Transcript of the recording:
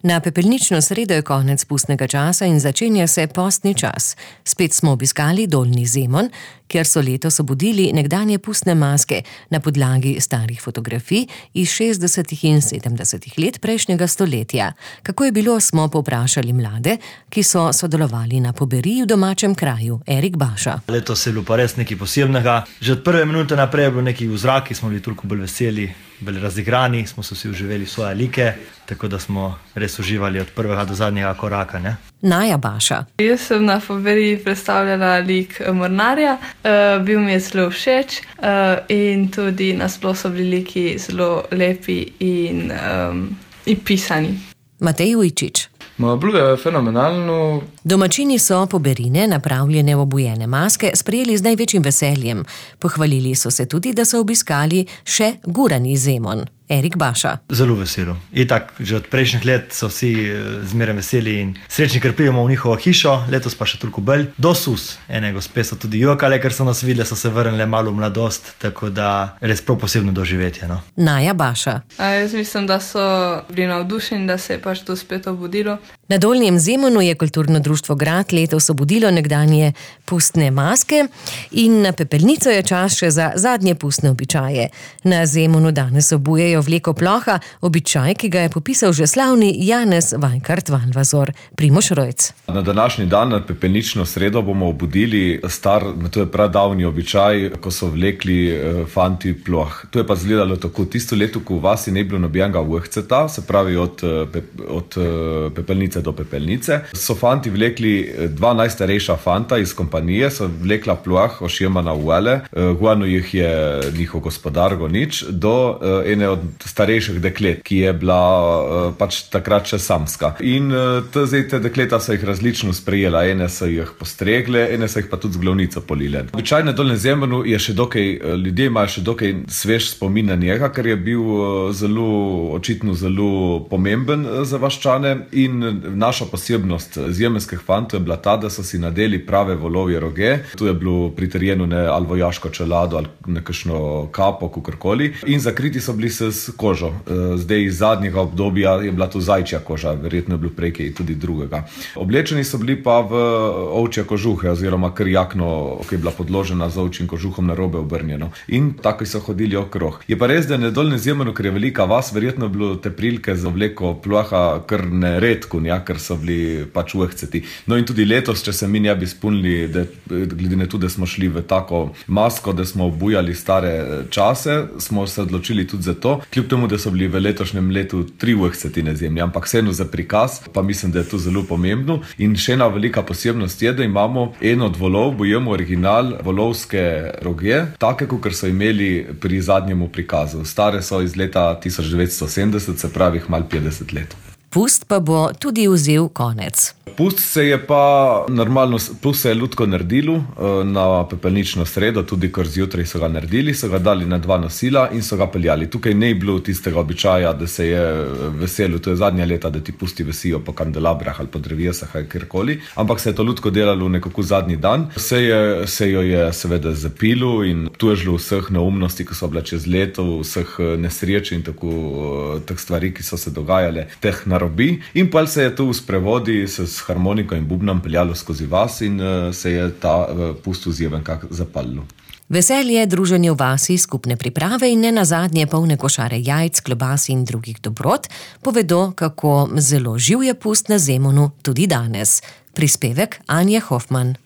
Na pepelnično sredo je konec pustnega časa in začenja se postni čas. Spet smo obiskali Dolnji Zemon, kjer so letos obudili nekdanje pustne maske na podlagi starih fotografij iz 60. in 70. let prejšnjega stoletja. Kako je bilo, smo povprašali mlade, ki so sodelovali na poberiji v domačem kraju, Erik Baša. Letos je bilo pa res nekaj posebnega. Že od prve minute naprej je bilo nekaj v zraki, smo bili toliko bolj veseli, bolj razigrani, smo se vsi uživeli svoje like, tako da smo res uživali od prvega do zadnjega koraka. Ne? Naja Baša. Jaz sem na poberiji predstavljala lik mornarja, bil mi je zelo všeč in tudi nasploh so bili liki zelo lepi in pisani. Matej Ujčič. Bilo je fenomenalno. Domačini so poberine, napravljene v obujene maske, sprejeli z največjim veseljem. Pohvalili so se tudi, da so obiskali še Gurani Zemon. Erik Baša. Zelo veselo. Itak, že od prejšnjih let so vsi zmeraj veseli in srečni, ker pridemo v njihovo hišo, letos pa še toliko bolj. Do sus. Ene gospe so tudi jokale, ker so nas videli, so se vrnile malo v mladost, tako da res prav posebno doživetje. No? Naja Baša. Jaz mislim, da so bili navdušeni, da se je pač to spet obudilo. Na Dolnjem Zemonu je kulturno društvo Grad letos obudilo nekdanje pustne maske in na pepelnico je čas še za zadnje pustne običaje. Na Zemonu danes obujejo vleko ploha, običaj, ki ga je popisal že slavni Janez Vajkard Valvazor. Primož Rojc. Na današnji dan, na pepelnično sredo, bomo obudili to je pradavni običaj, ko so vlekli fanti ploh. To je pa izgledalo tako. Tisto leto, ko v vasi ne bilo nobenega uhceta, se pravi od pepelnice do pepelnice, so fanti vlekli dva najstarejša fanta iz kompanije, so vlekla ploh ošjemana uvele, guano jih je njihov gospodar Gonič, do ene od starejših deklet, ki je bila pač takrat še samska. In te dekleta so jih različno sprejela. Ene so jih postregle, ene so jih pa tudi z glavnico polile. Običajno na Dolnjem Zemonu je še dokaj, ljudje imajo še dokaj svež spomin na njega, ker je bil očitno zelo pomemben za vaščane in naša posebnost zemenskih fantov je bila ta, da so si nadeli prave volovje roge. Tu je bilo pritrjeno ali vojaško čelado ali nekakšno kapo, kakorkoli. In zakriti so bili s kožo. Zdaj iz zadnjega obdobja je bila to zajčja koža, verjetno je bilo prej kaj tudi drugega. Oblečeni so bili pa v ovčje kožuhe oziroma kar jakno, ki je bila podložena z ovčjim kožuhom narobe obrnjeno. In tako so hodili okrog. Je pa res, da na Dolnjem Zemonu, ker je velika vas, verjetno je bilo te prilike za obleko ploha kar neredko, ker so bili pač uhceti. No in tudi letos, če se mi ne bi spomnili, glede na to, da smo šli v tako masko, da smo obujali stare čase, smo se odločili tudi za to, kljub temu, da so bili v letošnjem letu 3 uhceti na zemlji, ampak vseeno za prikaz, pa mislim, da je to zelo pomembno. In še ena velika posebnost je, da imamo eno od volov, bojemo original volovske roge, take, kot so imeli pri zadnjemu prikazu. Stare so iz leta 1970, se pravi malo 50 let. Pust pa bo tudi vzel konec. Pust se je pa normalno, pust se je ljudsko naredilo na pepelnično sredo, tudi kar zjutraj so ga naredili, so ga dali na 2 nosila in so ga peljali. Tukaj ne je bilo tistega običaja, da se je veselil, to je zadnja leta, da ti pusti vesijo po kandelabrah ali po drevesah ali kjerkoli, ampak se je to ljudsko delalo nekako zadnji dan. Se jo je seveda zapilo in tu je žilo vseh neumnosti, ki so bile čez leto, vseh nesreč in tako teh stvari, ki so se dogajale, teh narobi. In pa se je tu v sprevodi s harmoniko in bubnom peljalo skozi vas in se je ta pust vzjeven kak zapalilo. Veselje, druženje v vasi, skupne priprave in nenazadnje polne košare jajc, klobas in drugih dobrot povedo, kako zelo živ je pust na Zemonu tudi danes. Prispevek Anje Hofman.